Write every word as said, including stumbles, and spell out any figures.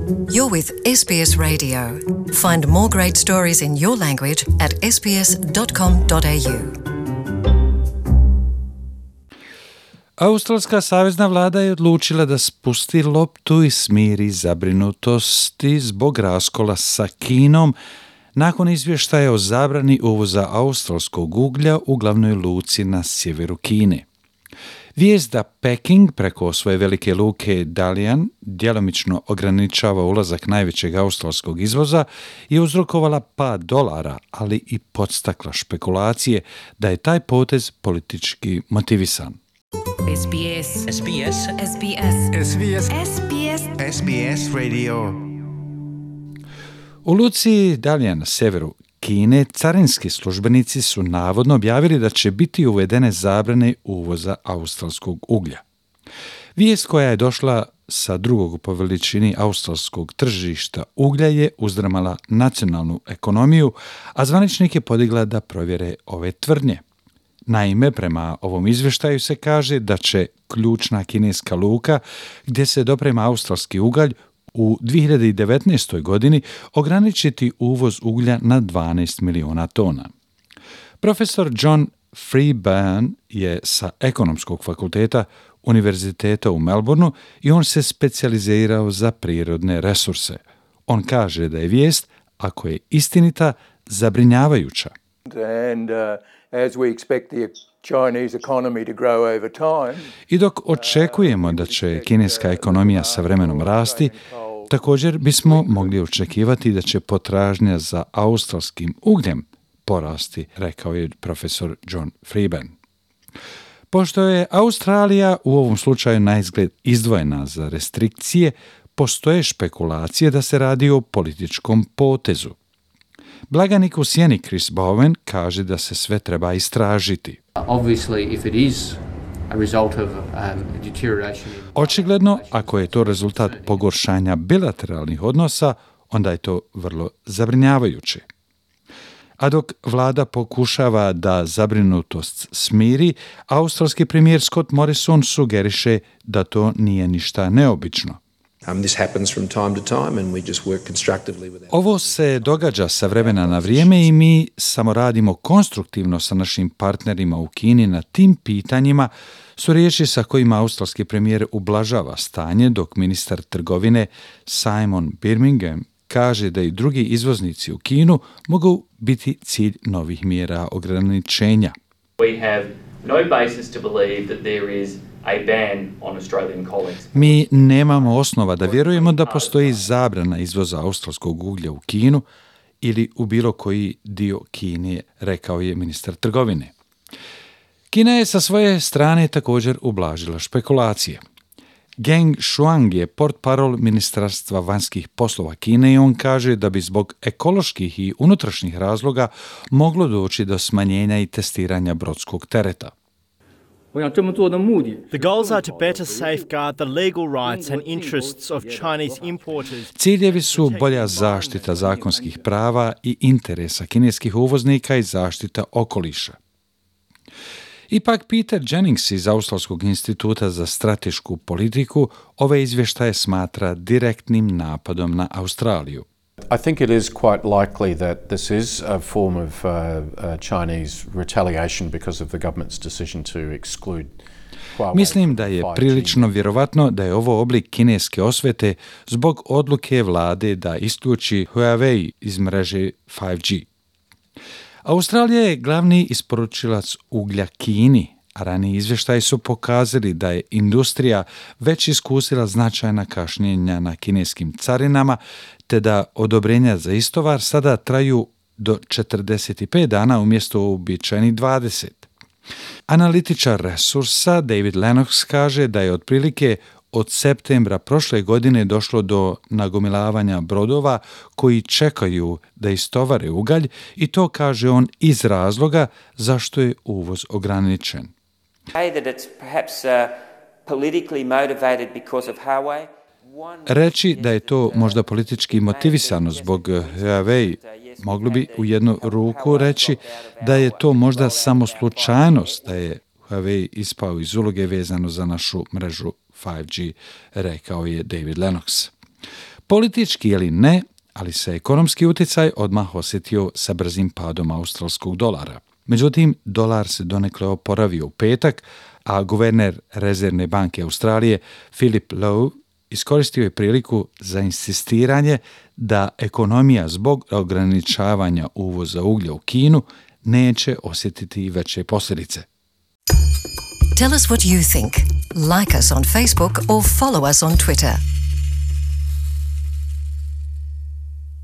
You're with S B S Radio. Find more great stories in your language at s b s dot com dot a u. Australska savezna vlada je odlučila da spusti loptu i smiri zabrinutosti zbog raskola sa Kinom nakon izvještaja o zabrani uvoza australskog uglja u glavnoj luci na sjeveru Kine. Vijest da Peking preko svoje velike luke Dalian djelomično ograničava ulazak najvećeg australskog izvoza je uzrokovala pad dolara, ali i podstakla špekulacije da je taj potez politički motivisan. S B S. S B S. S B S. S B S. S B S. S B S Radio. U luci Dalian na severu Kine carinski službenici su navodno objavili da će biti uvedene zabrane uvoza australskog uglja. Vijest koja je došla sa drugog po veličini australskog tržišta uglja je uzdrmala nacionalnu ekonomiju, a zvaničnik je podigla da provjere ove tvrdnje. Naime, prema ovom izvještaju se kaže da će ključna kineska luka gdje se doprema australski ugalj u dvije hiljade devetnaestoj. godini ograničiti uvoz uglja na dvanaest miliona tona. Profesor John Freeburn je sa ekonomskog fakulteta Univerziteta u Melbourneu i on se specijalizirao za prirodne resurse. On kaže da je vijest, ako je istinita, zabrinjavajuća. And, uh, as we expect the Chinese economy to grow over time, I dok očekujemo da će kineska ekonomija sa vremenom rasti, također bismo mogli očekivati da će potražnja za australskim ugljem porasti, rekao je profesor John Freeburn. Pošto je Australija u ovom slučaju naizgled izdvojena za restrikcije, postoje špekulacije da se radi o političkom potezu. Blaganik u sjeni Chris Bowen kaže da se sve treba istražiti. Obviously, if it is a result of um, deterioration in... Očigledno, ako je to rezultat pogoršanja bilateralnih odnosa, onda je to vrlo zabrinjavajuće. A dok vlada pokušava da zabrinutost smiri, australski premijer Scott Morrison sugeriše da to nije ništa neobično. Um, this happens from time to time and we just work constructively with our... Ovo se događa sa vremena na vrijeme i mi samo radimo konstruktivno sa našim partnerima u Kini na tim pitanjima, su riječi sa kojima australski premijer ublažava stanje, dok ministar trgovine Simon Birmingham kaže da i drugi izvoznici u Kinu mogu biti cilj novih mjera ograničenja. We have no basis to believe that there is a ban on Australian coal exports. Mi nemamo osnova da vjerujemo da postoji zabrana izvoza australskog uglja u Kinu ili u bilo koji dio Kine, rekao je ministar trgovine. Kina je sa svoje strane također ublažila špekulacije. Geng Shuang je portparol Ministarstva vanjskih poslova Kine i on kaže da bi zbog ekoloških i unutrašnjih razloga moglo doći do smanjenja i testiranja brodskog tereta. The goals are to better safeguard the legal rights and interests of Chinese importers. Ciljevi su bolja zaštita zakonskih prava i interesa kineskih uvoznika i zaštita okoliša. Ipak Peter Jennings iz Australskog instituta za stratešku politiku ove izvještaje smatra direktnim napadom na Australiju. I think it is quite likely that this is a form of uh, uh, Chinese retaliation because of the government's decision to exclude Huawei. Mislim da je prilično vjerovatno da je ovo oblik kineske osvete zbog odluke vlade da isključi Huawei iz mreže five G. Australija je glavni isporučilac uglja Kini, a raniji izvještaji su pokazali da je industrija već iskusila značajna kašnjenja na kineskim carinama, te da odobrenja za istovar sada traju do četrdeset pet dana umjesto uobičajenih dvadeset. Analitičar resursa David Lennox kaže da je otprilike od septembra prošle godine došlo do nagomilavanja brodova koji čekaju da istovare ugalj i to kaže on iz razloga zašto je uvoz ograničen. Reći da je to možda politički motivisano zbog Huawei, moglo bi u jednu ruku reći da je to možda samo slučajnost da je Huawei ispao iz uloge vezano za našu mrežu five G, rekao je David Lennox. Politički ili ne, ali se ekonomski utjecaj odmah osjetio sa brzim padom australskog dolara. Međutim, dolar se donekle oporavio u petak, a guverner Rezervne banke Australije Philip Lowe iskoristio je priliku za insistiranje da ekonomija zbog ograničavanja uvoza uglja u Kinu neće osjetiti veće posljedice. Tell us what you think. Like us on Facebook or follow us on Twitter.